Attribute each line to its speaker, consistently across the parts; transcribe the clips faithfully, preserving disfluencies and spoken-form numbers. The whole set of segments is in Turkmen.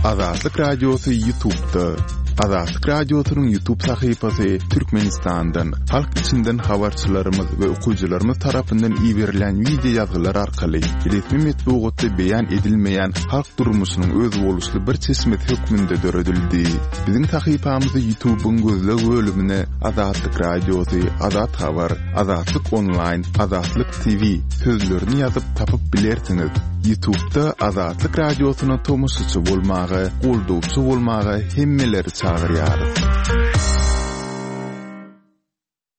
Speaker 1: Azatlyk Radiosy YouTube'da. Azatlyk Radiosynyň YouTube sahypasy Türkmenistandan, halk içinden habarçylarymyz we okyjylarymyz tarapyndan iberilen wideo ýazgylar arkaly resmi metbugatda beýan edilmeýän halk durmuşynyň özboluşly bir çeşmesi hökmünde döredildi. Biziň sahypamyzy YouTube'yň gözleg bölümine Azatlyk Radiosy, Azat Habar, Azatlyk Online, Azatlyk T V sözlerini ýazyp tapyp bilersiňiz. YouTube'da Azatlyk Radiosyna tomaşaçy bolmaga, goldawçy bolmaga hemmeleri çagyrýarys.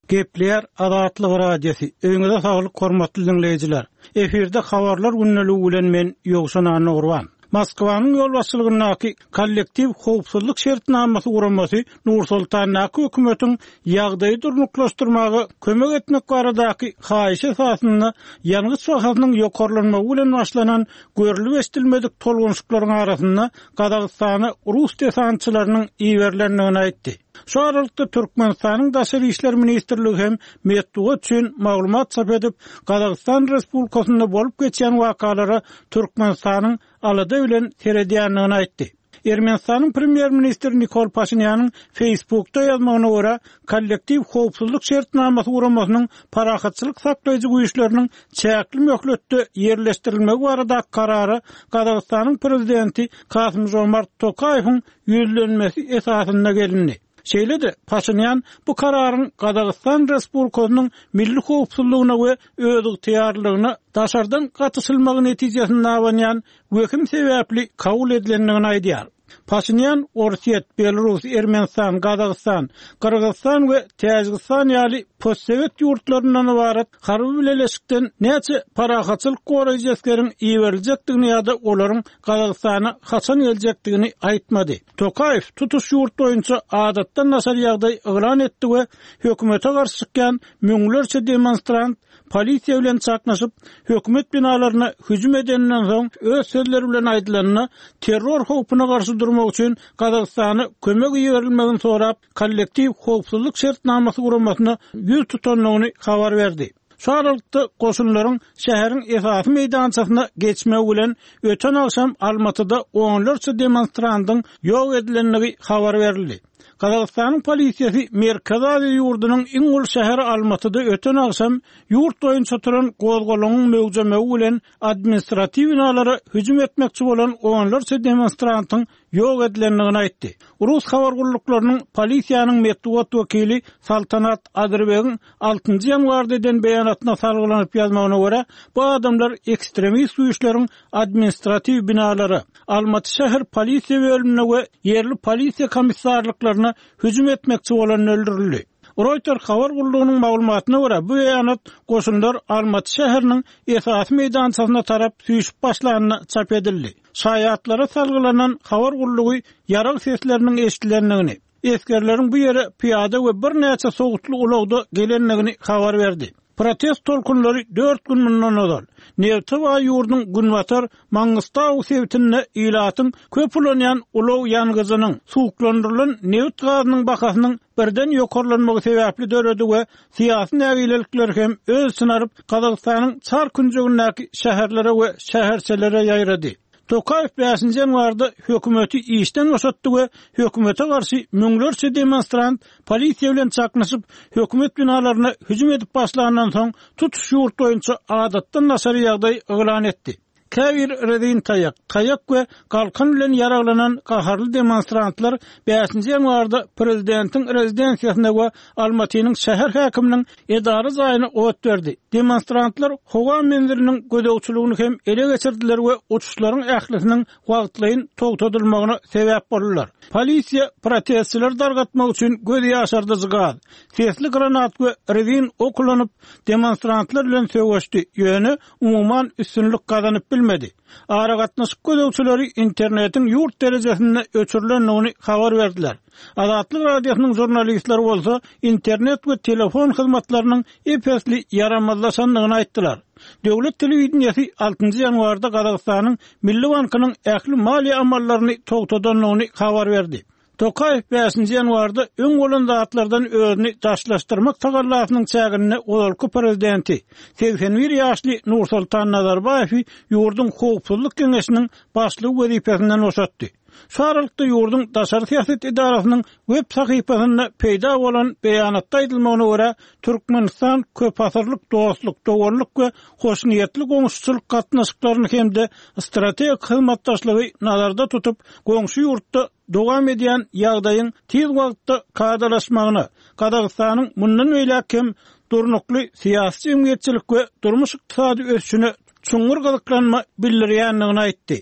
Speaker 2: Gepleýär Azatlyk Radiosy. Öýüňize saglyk hormatly dinleýjiler. Efirde habarlar gündeligi bilen men Ýowşan Annagurban. Moskwanyň ýolbaşçylygyndaky kollektiw howpsuzlyk şertnamasy guramasy Nursultandaky hökümetiň ýagdaýy durnuklaşdyrmaga kömek etmek baradaky haýyş esasynda ýangyç bahasynyň ýokarlanmagy bilen başlanan görülip eşidilmedik tolgunşyklaryň arasynda Gazagystana rus desantçylarynyň iberilendigini aýtdy. Şu aralykda Türkmenistanyň Daşary işler ministrligi hem metbugat üçin maglumat çap edip, Gazagystan Respublikasynda bolup geçen wakalara Türkmenistanyň alada bilen seredýändigini aýtdy. Ermenistanyň premýer-ministri Nikol Paşinýanyň Facebookda ýazmagyna görä, kollektiw howpsuzlyk şertnamasy guramasynyň parahatçylyk saklaýjy güýçleriniň çäkli möhletde ýerleşdirilmegi barada karara Gazagystanyň prezidenti Kasym-Žomart Tokaýewiň ýüzlenmesi esasynda gelindi. Şeýle-de Paşinýan bu kararyň Gazagystan Respublikasynyň milli howpsuzlygyna we özygtyýarlygyna daşardan gatyşylmagy netijesinde abanýan wehim sebäpli kabul edilendigini aýdýar. Paşinýan Orsýet, Belarus, Ermenistan, Gazagystan, Gyrgyzystan we Täjigistan ýaly postsowet ýurtlaryndan ybarat harby bileleşikden näçe parahatçylyk goraýjy esgeriň iberiljekdigini ýa-da olaryň Gazagystana haçan geljekdigini aýtmady. Tokaýew tutuş ýurt boýunça adatdan daşary ýagdaý yglan etdi we hökümete garşy çykýan müňlerçe demonstrant polisiýa bilen çaknyşyp, hökümet binalaryna hüjüm edeninden soň öz sözleri bilen aýdylanda terror howpuna garşy durmak üçin Gazagystana kömek iberilmegini sorap, kollektiw howpsuzlyk şertnamasy guramasyna ýüz tutandygyny habar berdi. Şu aralykda goşunlaryň şäheriň esasy meýdançasyna geçmegi bilen öten agşam Almatyda onlarça demonstrantyň ýok edilendigi habar berildi. Gazagystanyň polisiýasy Merkezi Aziýa ýurdunyň iň uly şäheri Almatyda öten agşam ýurt boýunça turan gozgalaňyň möwjemegi bilen administratiw binalara hüjüm etmekçi bolan onlarça demonstrantyň ýok edilendigini aýtdy. Rus habar gulluklarynyň polisiýanyň metbugat wekili Saltanat Adyrbegiň altynjy ýanwarda eden beýanatyna salgylanyp ýazmagyna görä, bu adamlar ekstremist güýçleriň administratiw binalara, Almaty şäher polisiýa bölümine we ýerli polisiýa komissarlyklaryna hüjüm etmekçi bolan öldürildi. Reuters habar gullugynyň maglumatyna görä, bu beýanat goşunlar Almaty şäheriniň esasy meýdançasyna tarap süýşüp başlanyna çap edildi. Şaýatlara salgylanan habar gullugy ýarag sesleriniň eşidilendigini, esgerleriň bu ýere pyýada we birnäçe sowutly ulagda gelendigini habar berdi. Protest tolkunlary dört gün mundan ozal Neftebaý ýurduň Günbatar Mangistau sebitinde ilatyň köp ulanýan ulag ýangyjynyň suwuklandyrylan neft gazynyň bahasynyň birden ýokarlanmagy sebäpli döredi we syýasy nägilelikler hem öz içine alyp Gazagystanyň çar künjegindäki şäherlere we şäherçelere ýaýrady. Tokaýew bäşinji ýanwarda hökümeti işden boşatdy we hökümete garşy müňlerçe demonstrant polisiýa bilen çaknyşyp, hökümet binalaryna hüjüm edip başlandan soň tutuş ýurt boýunça adatdan daşary ýagdaý yglan etdi. Käbir rezin taýak, taýak we galkan bilen ýaraglanan gaharly demonstrantlar bäşinji ýanwarda prezidentiň rezidensiýasyna we Almatynyň şäher häkiminiň edara jaýyna ot berdi. Demonstrantlar howa menziliniň gözegçiligini hem ele geçirdiler we uçuşlaryň ählisiniň wagtlaýyn togtadylmagyna sebäp boldular. Polisiýa protestçileri dargatmak üçin göz ýaşardyjy gaz, sesli granat we rezin ok ulanyp demonstrantlar bilen söweşdi, ýöne umuman üstünlik gazanyp bilmedi. Aragatnaşyk gözegçileri internetiň ýurt derejesinde öçürilendigini habar berdiler. Azatlyk Radiosynyň jurnalistleri bolsa internet we telefon hyzmatlarynyň ep-esli ýaramazlaşandygyny aýtdylar. Döwlet telewideniýesi altynjy ýanwarda Gazagystanyň Milli bankynyň ähli maliýe amallaryny togtadandygyny habar berdi. Tokaýew bäşinji ýanwarda öň bolan zatlardan özüni daşlaşdyrmak tagallasynyň çäginde ozalky prezidenti segsen bir ýaşly Nursultan Nazarbaýewi ýurduň howpsuzlyk geňeşiniň başlygy wezipesinden boşatdy. Şu aralykda ýurduň daşary syýasat edarasynyň web sahypasynda peýda bolan beýanatda aýdylmagyna görä, Türkmenistan köpasyrlyk dostluk, doganlyk we hoşniýetli goňşuçylyk gatnaşyklaryny hem-de strategik hyzmatdaşlygy nazarda tutup, goňşy ýurtda dowam edýän ýagdaýyň tiz wagtda kadalaşmagyna, Gazagystanyň mundan beýläk hem durnukly syýasy jemgyýetçilik we durmuş ykdysady ösüşine çuňňur gyzyklanma bildirýändigini aýtdy.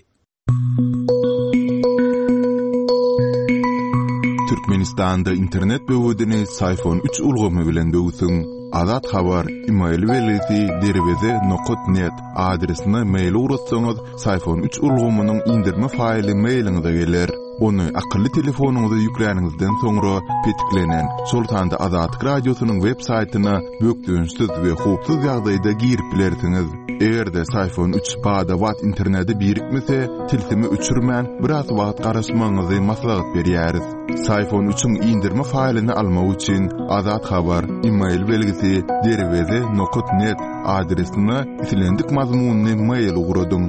Speaker 1: Türkmenistanda internet böwedini Syfon üç ulgamy bilen böwsüň. Azat Habar email belgisi derweze nokat net adresine mail ugratsaňyz, Syfon üç ulgamynyň indirme faýly mailiňize geler. Ony akylly telefonyňyza ýükläniňizden soňra petiklenen, şol sanda Azatlyk Radiosynyň web saýtyna bökdençsiz we howpsuz ýagdaýda girip bilersiňiz. Eger-de Syfon üç bada-bat internete birikmese, tilsimi öçürmän biraz wagt garaşmagyňyzy maslahat berýäris. Syfon üçiň indirme faýlyny almak üçin Azat Habar email belgisi derweze nokat net adresine islendik mazmunyny mail ugradyň.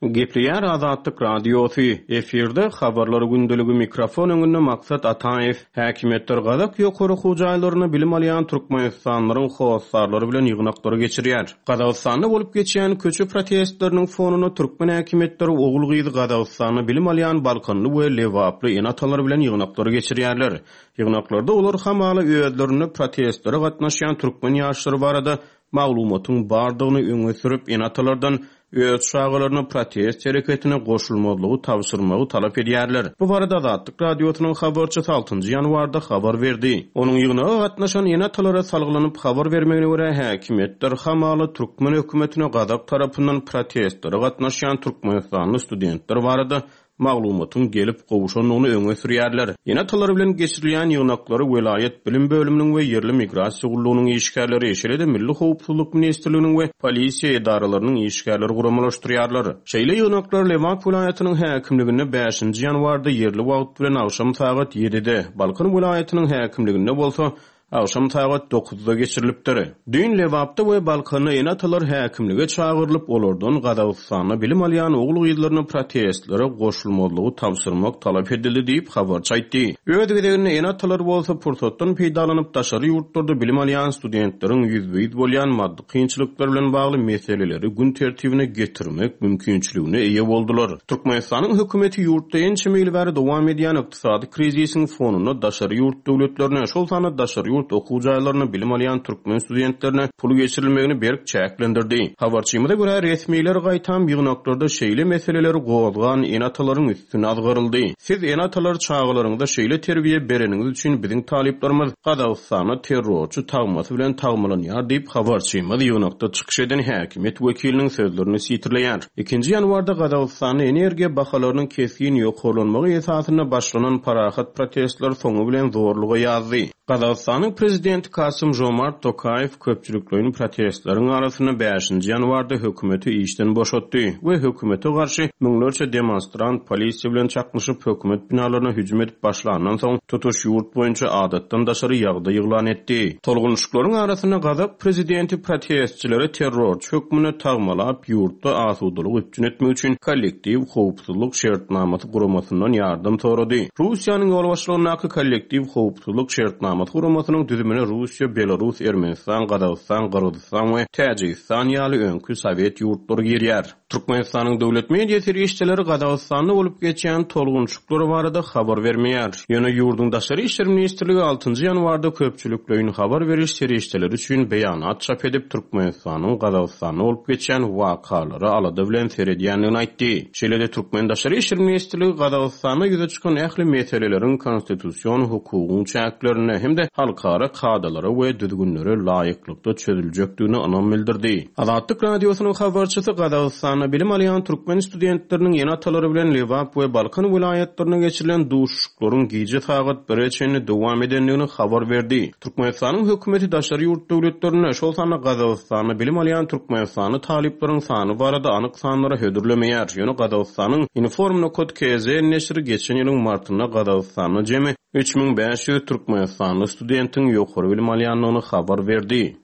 Speaker 3: Gepleýär Azatlyk Radiosy, efirde habarlar gündeligi mikrofon öňünde Maksat Ataýew. Häkimiýetler Gazak ýokary okuw jaýlaryna bilim alýan Türkmenistanlylaryň hossarlary bilen ýygnaklary geçirýär. Gazagystanda bolup geçýän köçe protestleriniň fonunda türkmen häkimiýetleri ogul-gyzy Gazagystanda bilim alýan Balkanly we Lebaply ene-atalar bilen ýygnaklary geçirýärler. Ýygnaklarda olar hamala özlerinde protestlere gatnaşýan türkmen ýaşlary barada maglumatyň bardygyny öňe sürüp ene-atalardan öz çagalaryna protest hereketine goşulmazlygy tabşyrmagy talap edýärler. Bu barada Azatlyk Radiosynyň habarçysy altynjy ýanwarda habar berdi. Onuň ýygnaga gatnaşan ene-atalara salgylanyp habar bermegine görä häkimiýetler hamala türkmen hökümetine Gazak tarapyndan protestlere gatnaşýan Türkmenistanly studentler barada maglumatyň gelip gowşandygyny öňe sürýärler. Ene-atalar bilen geçirilýän ýygnaklary welaýat bilim bölüminiň we ýerli migrasiýa gullugynyň işgärleri, şeýle-de Milli Howpsuzlyk Ministrliginiň we polisiýa edaralarynyň işgärleri guramalaşdyrýarlar. Şeýle ýygnaklar Lebap welaýatynyň häkimliginde bäşinji ýanwarda ýerli wagt bilen agşam sagat ýedide, Balkan welaýatynyň häkimliginde bolsa agşam sagat dokuzda geçirilipdir. Düýn Lebapda we Balkanda ene-atalar häkimlige çagyrylyp, olardan Gazagystanda bilim alýan ogul-gyzlaryna protestlere goşulmazlygy tabşyrmak talap edildi diýip habarçy aýtdy. Öz gezeginde ene-atalar bolsa pursatdan peýdalanyp daşary ýurtlarda bilim alýan studentleriň ýüzbe-ýüz bolýan maddy kynçylyklar bilen bagly meseleleri gün tertibine getirmek mümkinçiligine eýe boldular. Türkmenistanyň hökümeti ýurtda ençeme ýyl bäri dowam edýän ykdysady krizisiň fonunda daşary ýurt döwletlerine, şol sanda daşary ýurt okuw jaýlaryna bilim alýan türkmen studentlerine pul geçirilmegini berk çäklendirdi. Habarçymyza görä resmiler gaýtam ýygnaklarda şeýle meseleleri gozgan ene-atalaryň üstüne azgaryldy. Siz ene-atalar çagalaryňyza şeýle terbiýe bereniňiz üçin biziň talyplarymyz Gazagystanda terrorçy tagmasy bilen tagmalanýar diýip habarçymyz ýygnakda çykyş eden häkimiýet wekiliniň sözlerini sitirleýär. Ikinji ýanwarda Gazagystanda energiýa bahalarynyň kesgin ýokarlanmagy esasynda başlanan parahat protestler soňy bilen zorluga ýazdy. Gazagystanyň prezidenti Kasym Jomart Tokaýew köpçülikleýin protestleriň arasynda bäşinji ýanwarda hökümeti işden boşatdy we hökümete garşy müňlerçe demonstrant polisiýa bilen çaknyşyp hökümet binalaryna hüjüm edip başlandan soň tutuş ýurt boýunça adatdan daşary ýagdaý yglan etdi. Tolgunyşyklaryň arasynda Gazak prezidenti protestçilere terrorçy hökmünde tagmalap ýurtda asudalyk üpjün etmek üçin kollektiw howpsuzlyk şertnamasy guramasyndan ýardam sorady. Russiýanyň ýolbaşçylygyndaky kollektiw howpsuzlyk şertnamasy guramasynyň düzümine Russiýa, Belarus, Ermenistan, Gazagystan, Gyrgyzystan we Täjigistan ýaly öňki Sowet ýurtlary girýär. Türkmenistanyň döwlet media serişdeleri Gazagystanda bolup geçýän tolgunçyklar barada habar bermeýär. Ýöne ýurduň Daşary işler ministrligi altynjy ýanwarda köpçülikleýin habar beriş serişdeleri üçin beýanat çap edip Türkmenistanyň Gazagystanda bolup geçýän wakalara alada bilen seredýändigini aýtdy. Şeýle-de Türkmen Daşary işler ministrligi Gazagystanda ýüze çykan ähli meseleleriň konstitusion hukugyň çäklerinde hem-de halkara kadalara we düzgünlere laýyklykda çözüljekdigine ynam bildirdi. Azatlyk Radiosynyň habarçysy Gazagystanda bilim alýan türkmen studentleriniň ene-atalary bilen Lebap we Balkan welaýatlaryna geçirilen duşuşyklaryň gije sagat bire çenli dowam edendigini habar berdi. Türkmenistanyň hökümeti daşary ýurt döwletlerinde, şol sanda Gazagystanda bilim alýan Türkmenistanly talyplaryň sany barada anyk sanlara hödürlemeýär. Ýöne Gazagystanyň Inform nokta K Z neşiri geçen ýylyň martynda Gazagystanda jemi üç müň bäş ýüz Türkmenistanly studentiň ýokary bilim alýandygyny habar berdi.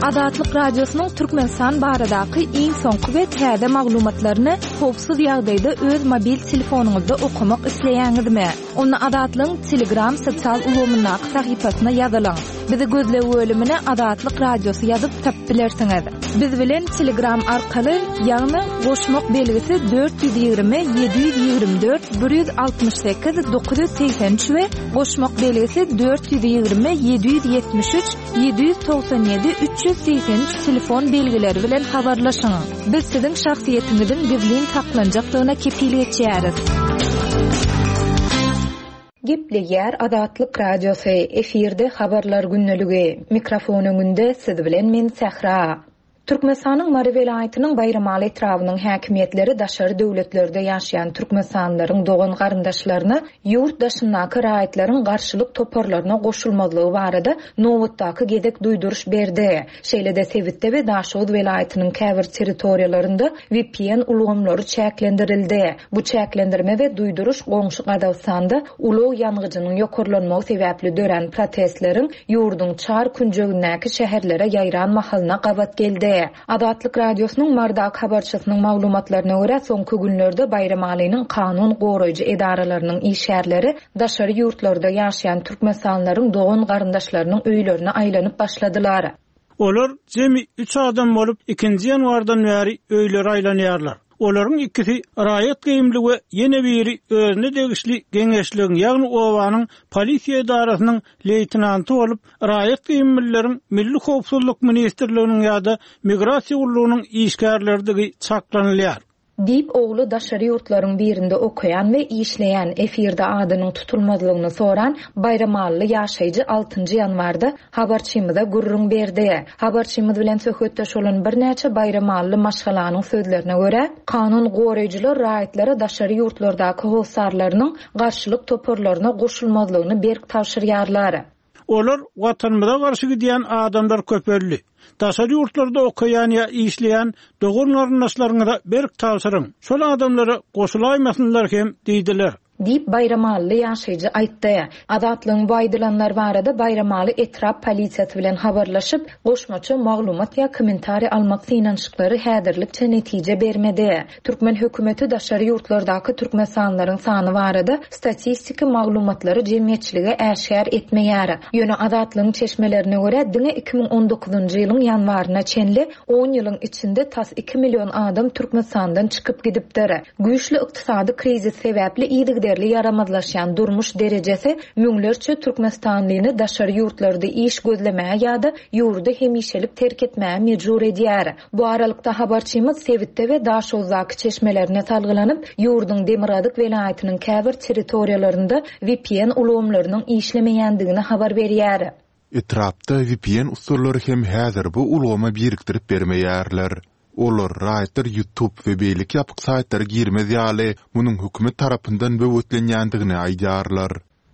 Speaker 4: Azatlyk Radiosynyň Türkmenistan baradaky iň soňky we täze maglumatlaryny howpsuz ýagdaýda öz mobil telefonyňyzda okamak isleýäňizmi? Onda Azatlygyň Telegram sosial ulgamyndaky sahypasyna ýazylyň. Bizi gözleg bölümine Azatlyk Radiosy ýazyp tapyp bilersiňiz. Biz bilen Telegram arkaly, ýagny goşmak belgisi dört ýüz ýigrimi ýedi ýüz ýigrimi dört bir ýüz altmyş sekiz dokuz ýüz segsen üç we goşmak belgisi dört ýüz ýigrimi ýedi ýüz ýetmiş üç ýedi ýüz togsan ýedi üç ýüz segsen üç telefon belgileri bilen habarlaşyň. Biz siziň şahsyýetiňiziň gizlin saklanjakdygyna kepil geçýäris.
Speaker 5: Gepleýär Azatlyk Radiosy, efirde habarlar gündeligi. Mikrofon öňünde siz bilen men Sähra. Türkmenistanyň Mary welaýatynyň Baýramaly etrabynyň häkimiýetleri daşary döwletlerde ýaşaýan türkmenistanlylaryň dogan garyndaşlaryna ýurt daşyndaky raýatlaryň garşylyk toparlaryna goşulmazlygy barada nobatdaky gezek duýduryş berdi. Şeýle-de sebitde we Daşoguz welaýatynyň käbir territoriýalarynda V P N ulgamlary çäklendirildi. Bu çäklendirme we duýduryş goňşy Gazagystanda ulag ýangyjynyň ýokarlanmagy sebäpli dörän protestleriň ýurduň çar künjegindäki şäherlere ýaýran mahalyna gabat geldi. Azatlyk Radiosynyň Mardak habarçysynyň maglumatlaryna görä soňky günlerde Baýramalynyň kanun goraýjy edaralarynyň işgärleri daşary ýurtlarda ýaşaýan türkmenistanlylaryň dogan garyndaşlarynyň öýlerine aýlanyp başladylar.
Speaker 2: Olar jemi üç adam bolup ikinji ýanwardan bäri öýlere aýlanýarlar. Olaryň ikisi raýat geýimli we ýene biri özüne degişli geňeşligiň, ýagny obanyň polisiýa edarasynyň leýtenanty bolup, raýat geýimlileriň Milli Howpsuzlyk Ministrliginiň ýa-da Migrasiýa gullugynyň işgärlerdigi çaklanylýar.
Speaker 5: Diýip ogly daşary ýurtlaryň birinde okaýan we işleýän efirde adynyň tutulmazlygyny soran Baýramalyly ýaşaýjy altynjy ýanwarda habarçymyza gürrüň berdi. Habarçymyz bilen söhbetdeş bolan birnäçe Baýramalyly maşgalanyň sözlerine görä, kanun goraýjylar raýatlara daşary ýurtlardaky hossarlarynyň garşylyk toparlaryna goşulmazlygyny berk tabşyrýarlar.
Speaker 2: Olar watanymyza garşy gidýän adamlar köpeldi. Daşary ýurtlarda okaýan ýa işleýän dogan garyndaşlaryňyza berk tabşyryň. Şol adamlara goşulaýmasynlar hem diýdiler.
Speaker 5: Diýip Baýramalyly ýaşaýjy aýtdy. Azatlygyň bu aýdylanlar barada Baýramaly etrap polisiýasy bilen habarlaşyp, goşmaça maglumat ýa kommentariý almak synanyşyklary häzirlikçe netije bermedi. Türkmen hökümeti daşary ýurtlardaky türkmenistanlylaryň sany barada statistiki maglumatlary jemgyýetçilige äşgär etmeýär. Ýöne Azatlygyň çeşmelerine görä diňe iki müň on dokuzynjy ýylyň ýanwaryna çenli on ýylyň içinde tas iki million adam Türkmenistandan çykyp gidipdir. Güýçli ykdysady krizis sebäpli yzygiderli ýaramazlaşýan durmuş derejesi müňlerçe türkmenistanlyny daşary ýurtlarda iş gözlemäge ýa-da ýurdy hemişelik terk etmäge mejbur edýär. Bu aralykda habarçymyz sebitde we Daşoguzdaky çeşmelerine salgylanyp, ýurduň Demirgazyk welaýatynyň käbir territoriýalarynda V P N ulgamlarynyň işlemeýändigini habar berýär.
Speaker 1: Etrapda V P N usullary hem häzir bu ulgama birikdirip bermeýärler. Olar raýatlar YouTube we beýleki ýapyk saýtlara girmez ýaly munuň hökümet tarapyndan böwetlenýändigini aýdýarlar.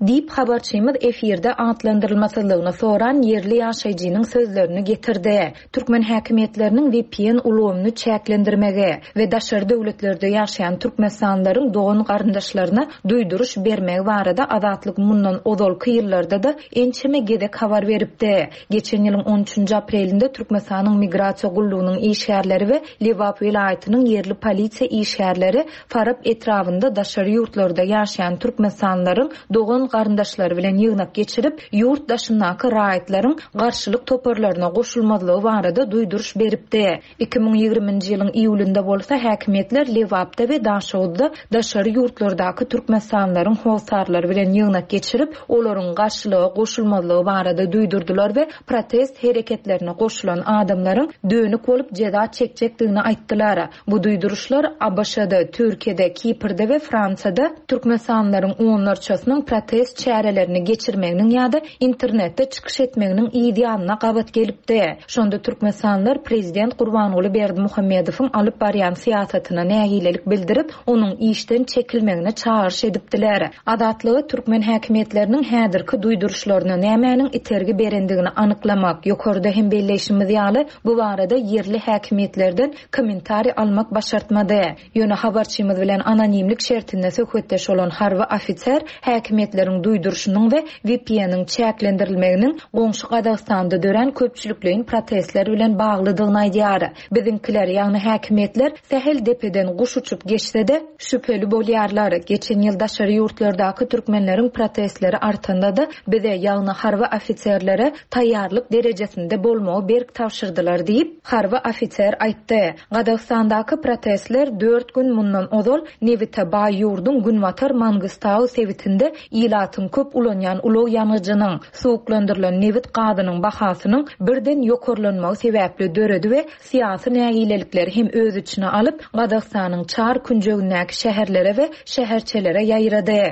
Speaker 5: Diýip habarçymyz efirde atlandyrylmasyzlygyny soran ýerli ýaşaýjynyň sözlerini getirdi. Türkmen häkimiýetleriniň V P N ulgamyny çäklendirmegi we daşary döwletlerde ýaşaýan türkmenistanlylaryň dogan garyndaşlaryna duýduryş bermegi barada Azatlyk mundan ozalky ýyllarda da ençeme gezek habar beripdi. Geçen ýylyň on üçünji aprelinde Türkmenistanyň Migrasiýa gullugynyň işgärleri we Lebap welaýatynyň ýerli polisiýa işgärleri Farap etrabynda daşary ýurtlarda ýaşaýan türkmenistanlylaryň dogan garyndaşlary bilen ýygnak geçirip, ýurt daşyndaky raýatlaryň garşylyk toparlaryna goşulmazlygy barada duýduryş beripdi. iki müň ýigriminji ýylyň iýulynda bolsa häkimiýetler Lebapda we Daşoguzda daşary ýurtlardaky türkmenistanlylaryň hossarlary bilen ýygnak geçirip, olaryň garşylyga goşulmazlygy barada duýdurdylar we protest hereketlerine goşulan adamlaryň dönük bolup jeza çekjekdigini aýtdylar. Bu duýduryşlar A B Ş-da, Türkiýede, Kiprde we Fransiyada türkmenistanlylaryň onlarçasynyň protest çärelerini geçirmeginiň ýa-da internetde çykyş etmeginiň yz ýanyna gabat gelipdi. Şonda türkmenistanlylar prezident Gurbanguly Berdimuhamedowyň alyp barýan syýasatyna nägilelik bildirip, onuň işden çekilmegine çagyryş edipdiler. Azatlygy türkmen häkimiýetleriniň häzirki duýduryşlaryna nämäniň itergi berendigini anyklamak, ýokarda hem belleýşimiz ýaly, bu barada ýerli häkimiýetlerden kommentariý almak başartmady. Ýöne habarçymyz bilen anonimlik şertinde söhbetdeş bolan harby ofiser häkimiýetleriň Häkimiýetleriň duýduryşynyň we V P N-iň çäklendirilmeginiň goňşy Gazagystanda dörän köpçülikleýin protestler bilen baglydygyny aýdýar. Biziňkiler, ýagny häkimiýetler sähel depeden guş uçup geçse-de şübheli bolýarlar. Geçen ýyl daşary ýurtlardaky türkmenleriň protestleri artanda-da bize, ýagny harby ofiserlere taýýarlyk derejesinde bolmagy berk tabşyrdylar diýip, harby ofiser aýtdy. Gazagystandaky protestler dört gün mundan ozal nebite baý ýurduň Günbatar Mangistau sebitinde ilatyň köp ulanýan ulag ýangyjynyň, suwuklandyrylan nebit gazynyň bahasynyň birden ýokarlanmagy sebäpli döredi we syýasy nägilelikleri hem öz içine alyp, Gazagystanyň çar künjegindäki şäherlere we şäherçelere ýaýrady.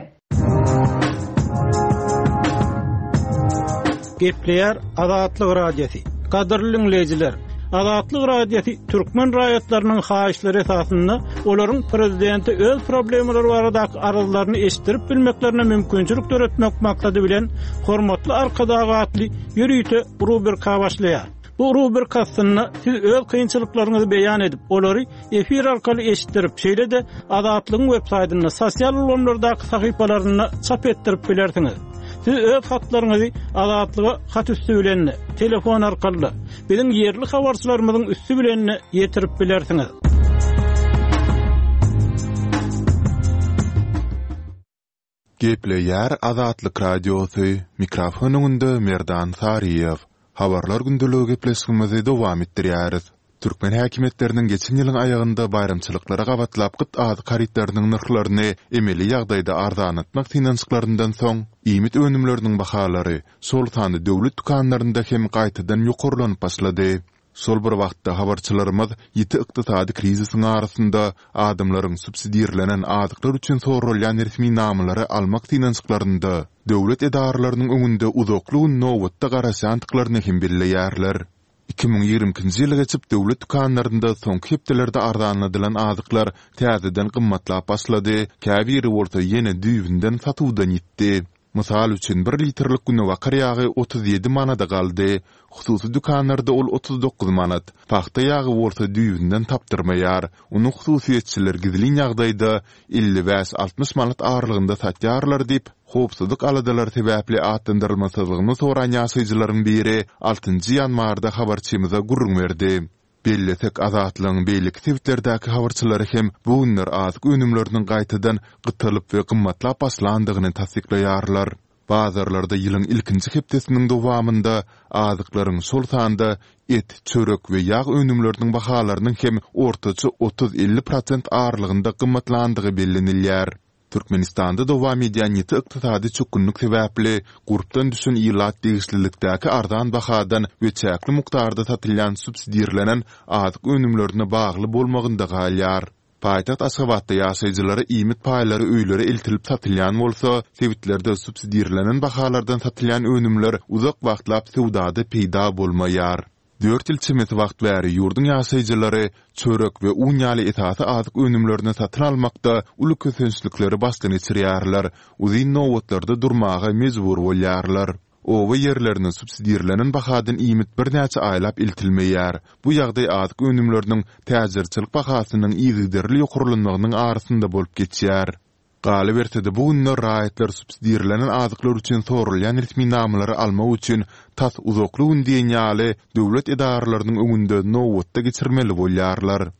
Speaker 2: Gepleýär Azatlyk Radiosy. Gadyrly dinleýjiler, Azatlyk Radiosy türkmen raýatlarynyň haýyşlary esasynda olaryň prezidente öz problemalary baradaky arzlaryny eşitdirip bilmeklerine mümkinçilik döretmek maksady bilen Hormatly Arkadag atly ýörite rubrika başlaýar. Bu rubrika astynda siz öz kynçylyklaryňyzy beýan edip, olary efir arkaly eşitdirip, şeýle-de Azatlygyň web saýtynda, sosial ulgamlardaky sahypalarynda çap etdirip bilersiňiz. Siz öz hatlaryňyzy Azatlyga hat üstü bilen, telefon arkaly, biziň ýerli habarçylarymyzyň üstü bilen ýetirip bilersiňiz.
Speaker 1: Gepleýär Azatlyk Radiosy, mikrofon öňünde Merdan Saryýew. Habarlar gündeligi gepleşigimizi dowam etdirýäris. Türkmen häkimiýetleriniň geçen ýylyň aýagynda baýramçylyklara gabatlap gyt azyk harytlarynyň nyrhlaryny emeli ýagdaýda arzanlatmak synanyşyklaryndan soň, iýmit önümleriniň bahalary, şol sanda döwlet dükanlarynda hem gaýtadan ýokarlanyp başlady. Şol bir wagtda habarçylarymyz ýiti ykdysady krizisiň arasynda adamlaryň subsidirlenen azyklar üçin soralýan resminamalary almak synanyşyklarynda döwlet edaralarynyň öňünde uzakly gün nobatda garaşýandyklaryny hem belleýärler. Iki müň ýigrimi ikinji ýyly geçip döwlet dükanlarynda soňky hepdelerde arzanladylan azyklar täzeden gymmatlap başlady, käbiri bolsa ýene düýbünden satuwdan ýitdi. Mysal üçin bir litrlik günebakar ýagy otuz ýedi manada galdy. Hususy dükanlarda ol otuz dokuz manat. Pagta ýagy bolsa düýbünden tapdyrmaýar. Ony hususyýetçiler gizlin ýagdaýda elli bäş altmyş manat aralygynda satýarlar diýip, howpsuzlyk aladalary sebäpli atlandyrylmasyzlygyny soran ýaşaýjylaryň biri altynjy ýanwarda habarçymyza gürrüň berdi. Bellesek Azatlygyň beýleki sebitlerdäki habarçylary hem bu günler azyk önümleriniň gaýtadan gytalyp we gymmatlap başlandygyny tassyklaýarlar. Bazarlarda ýylyň ilkinji hepdesiniň dowamynda azyklaryň şol sanda et, çörek we ýag önümleriniň bahalarynyň hem ortaça otuz elli prosent aralygynda gymmatlandygy bellenilýär. Türkmenistanda dowam edýän ýiti ykdysady çökgünlik sebäpli gurpdan düşen ilat degişlilikdäki arzan bahadan we çäkli mukdarda satylýan subsidirlenen azyk önümlerine bagly bolmagynda galýar. Paýtagt Aşgabatda ýaşaýjylara iýmit paýlary öýlere eltilip satylýan bolsa, sebitlerde subsidirlenen bahalardan satylýan önümler uzak wagtlap söwdada peýda bolmaýar. Dört ýyl çemesi wagt bäri ýurduň ýaşaýjylary çörek we un ýaly esasy azyk önümlerini satyn almakda uly kösençlikleri başdan geçirýärler, uzyn nobatlarda durmaga mejbur bolýarlar. Oba ýerlerine subsidirlenen bahadan iýmit birnäçe aýlap eltilmeýär. Bu ýagdaý azyk önümleriniň täjirçilik bahasynyň yzygiderli ýokarlanmagynyň arasynda bolup geçýär. Galyberse-de bu günler raýatlar subsidirlenen azyklar üçin soralýan resminamalary almak üçin tas uzakly gün diýen ýaly döwlet edaralarynyň öňünde nobatda geçirmeli bolýarlar.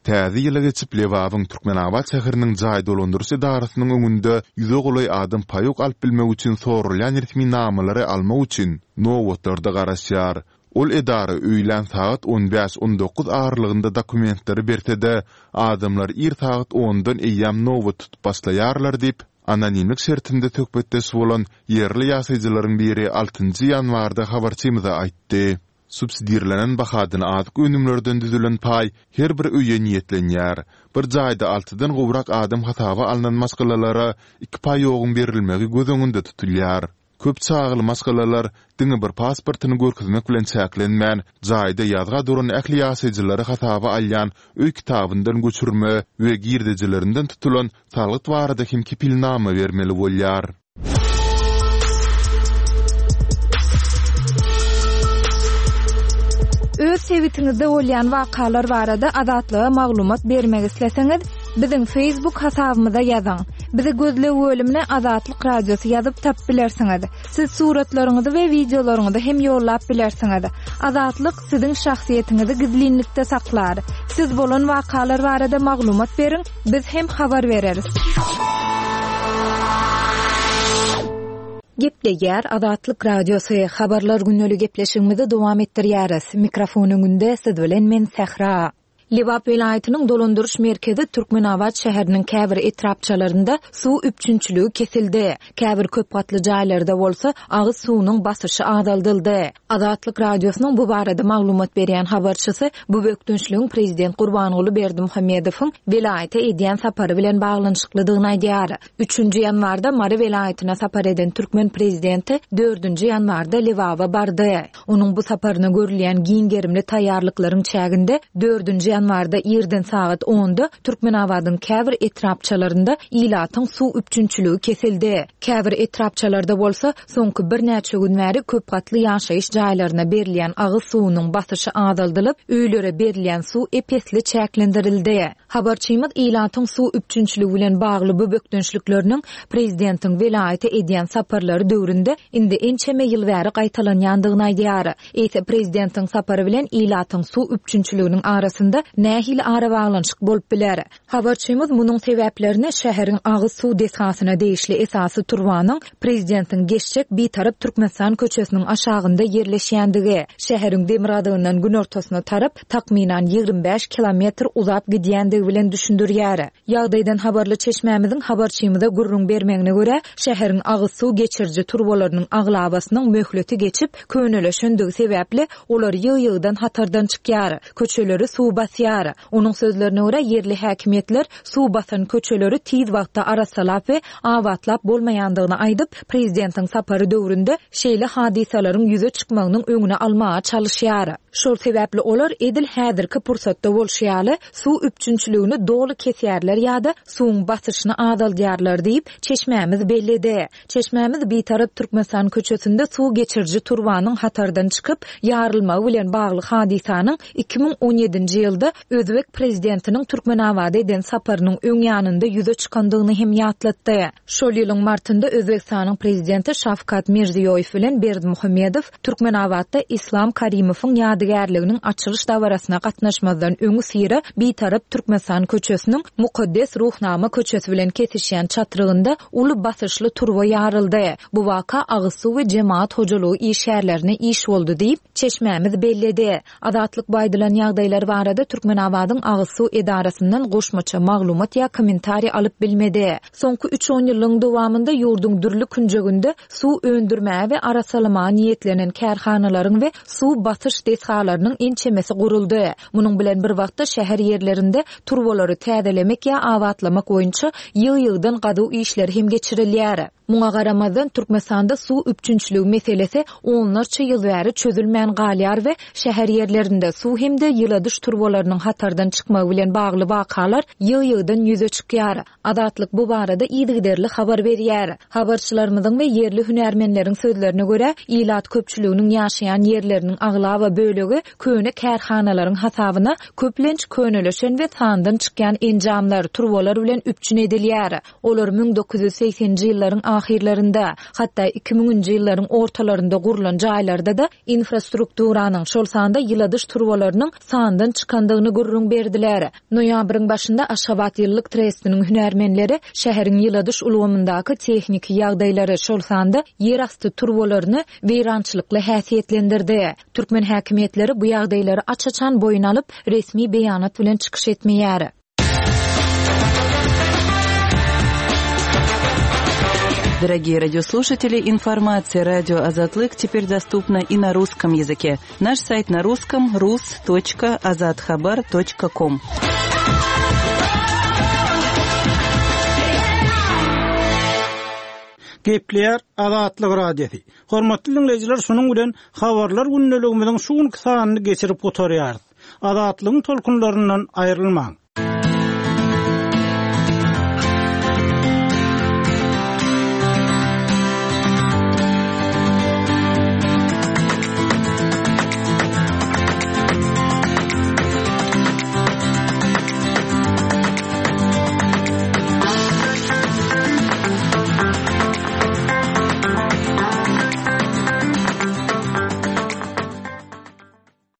Speaker 1: Täze ýyla geçip Lebabyň Türkmenabat şäheriniň jaý dolandyryş edarasynyň öňünde ýüze golaý adam paýok alyp bilmek üçin soralýan resminamalary almak üçin nobatlarda garaşýar. Ol edara öýlän sagat on bäş on dokuz aralygynda dokumentleri berse-de, adamlar ir sagat ondan eýýäm nobat tutup başlaýarlar diýip, anonimlik şertinde söhbetdeş bolan ýerli ýaşaýjylaryň biri altynjy ýanwarda habarçymyza aýtdy. Subsidirlenen bahadan azyk önümlerden düzülen paý her bir öýe niýetlenýär. Bir jaýda altydan gowrak adam hasaba alnan maşgalalara iki paýogyň berilmegi göz öňünde tutulýar. Köp çagaly maşgalalar diňe bir pasportyny görkezmek bilen çäklenmän, jaýda ýazga duran ähli ýaşaýjylary hasaba alýan öý kitabyndan göçürme we girdejilerinden tutulan salgyt barada hem kepilnama bermeli bolýar.
Speaker 4: Öz sebitiňizde bolýan wakalar barada Azatlyga maglumat bermek isleseňiz, biziň Facebook hasabymyza ýazyň. Bizi gözleg bölümine Azatlyk Radiosy ýazyp tapyp bilersiňiz. Siz suratlaryňyzy we wideolaryňyzy hem ýollap bilersiňiz. Azatlyk siziň şahsyýetiňizi gizlinlikde saklar. Siz bolan wakalar barada maglumat beriň, biz hem habar bereris. Gepleýär Azatlyk Radiosy habarlar gündelik gepleşigimizi dowam etdirýäris. Mikrofon öňünde siz bilen men Sähra. Lebap welaýatynyň dolandyryş merkezi Türkmenabat şäheriniň käbir etrapçalarynda suw üpjünçiligi kesildi. Käbir köp gatly jaýlarda bolsa agyz suwunyň basyşy azaldyldy. Azatlyk Radiosynyň bu barada maglumat berýän habarçysy bu bökdençligiň prezident Gurbanguly Berdimuhamedowyň welaýata edýän sapary bilen baglanyşyklydygyny aýdýar. Üçünji ýanwarda Mary welaýatyna sapar eden türkmen prezidenti dördünji ýanwarda Lebaba bardy. Onuň bu saparyna görülýän giň gerimli taýýarlyklaryň çäginde dördünji ýanwarda irden sagat onda Türkmenabadyň käbir etrapçalarynda ilatyň suw üpjünçiligi kesildi. Käbir etrapçalarda bolsa soňky birnäçe gün bäri köp gatly ýaşaýyş jaýlaryna berilýän agyz suwunyň basyşy azaldylyp, öýlere berilýän suw epesli çäklendirildi. Habarçymyz ilatyň suw üpjünçiligi bilen bagly bu bökdençlikleriniň prezidentiň welaýata edýän saparlary döwründe indi ençeme ýyl bäri gaýtalanýandygyny aýdýar. Eýse prezidentiň sapary bilen ilatyň suw üpjünçiliginiň arasynda nähili arabaglanyşyk bolup biler? Habarçymyz munuň sebäplerini şäheriň agyz suw desgasyna degişli esasy turbanyň prezidentiň geçjek Bitarap Türkmenistan köçesiniň aşagynda ýerleşýändigi, şäheriň demirgazygyndan günortasyna tarap takmynan ýigrimi bäş kilometr uzap gidýändigi bilen düşündirýär. Ýagdaýdan habarly çeşmämiziň habarçymyza gürrüň bermegine görä, şäheriň agyz suw geçiriji turbalarynyň aglabasynyň möhleti geçip, köneleşendigi sebäpli olar ýygy-ýygydan hatardan çykýar, köçeleri suw basýar. Onuň sözlerine görä, ýerli häkimiýetler suw basan köçeleri tiz wagtda arassalap we abatlap bolmaýandygyny aýdyp, prezidentiň sapary döwründe şeýle hadysalaryň ýüze çykmagynyň öňüne almaga çalyşýar. Şol sebäpli olar edil häzirki pursatda bolşy ýaly suw üpjünçiligini doly kesýärler ýa-da suwuň basyşyny azaldýarlar diýip, çeşmämiz belledi. Çeşmämiz Bitarap Türkmenistan köçesinde suw geçiriji turbanyň hatardan çykyp, ýarylmagy bilen bagly hadysanyň iki müň on ýedinji ýylda Özbek prezidentiniň Türkmenabada eden saparynyň öň ýanynda ýüze çykandygyny hem ýatlatdy. Şol ýylyň martynda Özbekistanyň prezidenti Şawkat Mirziýoýew bilen Berdimuhamedow Türkmenabatda Islam Karimowyň ýadygärliginiň açylyş dabarasyna gatnaşmazdan öňi syra Bitarap Türkmenistan köçesiniň Mukaddes Ruhnama köçesi bilen kesişýän çatrygynda uly basyşly turba ýaryldy. Bu waka agyz suw we jemaat hojalygy işgärlerine iş boldy diýip, çeşmämiz belledi. Azatlyk baýdylan ýagdaýlar barada Türkmenabadyň agyz suw edarasyndan goşmaça maglumat ýa kommentariý alyp bilmedi. Soňky üç on ýylyň dowamynda ýurduň dürli künjeginde suw öndürmäge we arassalamaga niýetlenen kärhanalaryň we suw basyş desgalarynyň ençemesi guruldy. Munuň bilen bir wagtda şäher ýerlerinde turbalary täzelemek ýa abatlamak boýunça ýygy-ýygydan gazuw işleri hem geçirilýär. Muňa garamazdan Türkmenistanda suw üpjünçiligi meselesi onlarça ýyl bäri çözülmän galýar we şäher ýerlerinde suw hem-de ýyladyş turbalarynyň hatardan çykmagy bilen bagly wakalar ýygy-ýygydan ýüze çykýar. Azatlyk bu barada yzygiderli habar berýär. Habarçylarymyzyň we ýerli hünärmenleriň sözlerine görä, ilat köpçüliginiň ýaşaýan ýerleriniň aglaba bölegi köne kärhanalaryň hasabyna köplenç köneleşen we sandan çykýan enjamlar, turbalar bilen üpjün edilýär. Olar müň dokuz ýüz segseninji ýyllaryň ahyrlarynda, hatda iki müňünji ýyllaryň ortalarynda gurulan jaýlarda da infrastrukturanyň, şol sanda ýyladyş turbalarynyň sandan çykandygyny gürrüň berdiler. Noýabryň başynda Aşgabat ýyllyk trestiniň hünärmenleri şäheriň ýyladyş ulgamyndaky tehniki ýagdaýlary, şol sanda ýerasty turbalaryny weýrançylykly häsiýetlendirdi. Türkmen häkimiýetleri bu ýagdaýlary aç-açan boýun alyp, resmi beýanat bilen çykyş etmeýär.
Speaker 6: Дорогие радиослушатели, информация радио Азатлык теперь доступна и на русском языке. Наш сайт на русском рус точка азатхабар точка ком.
Speaker 2: Gepleýär Azatlyk Radiosy. Hormatly dinleýjiler, şunuň bilen habarlar gündeligimiziň şu günki sanyny geçirip gutarýarys. Azatlygyň tolkunlaryndan aýrylmaň.